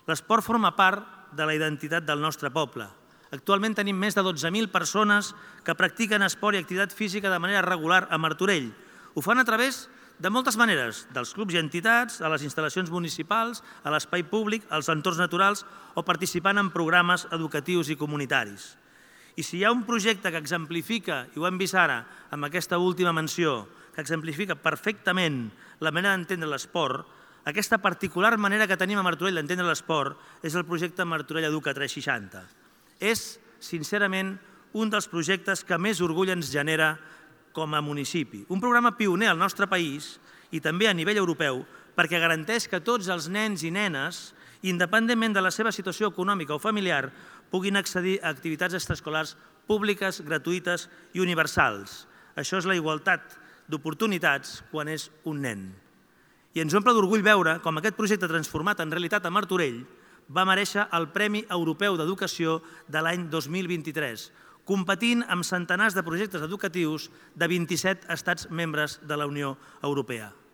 L'esport forma part de la identitat del nostre poble. Actualment tenim més de 12.000 persones que practiquen esport i activitat física de manera regular a Martorell. Ho fan a través de moltes maneres, dels clubs i entitats, a les instal·lacions municipals, a l'espai públic, als entorns naturals o participant en programes educatius i comunitaris. I si hi ha un projecte que exemplifica, i ho hem vist ara amb aquesta última menció, que exemplifica perfectament la manera d'entendre l'esport, aquesta particular manera que tenim a Martorell d'entendre l'esport és el projecte Martorell Educa 360. És, sincerament, un dels projectes que més orgull ens genera com a municipi. Un programa pioner al nostre país i també a nivell europeu perquè garanteix que tots els nens i nenes, independentment de la seva situació econòmica o familiar, puguin accedir a activitats extraescolars públiques, gratuïtes i universals. Això és la igualtat d'oportunitats quan és un nen. I ens omple d'orgull veure com aquest projecte transformat en realitat a Martorell va merèixer el Premi Europeu d'Educació de l'any 2023, competint amb centenars de projectes educatius de 27 estats membres de la Unió Europea.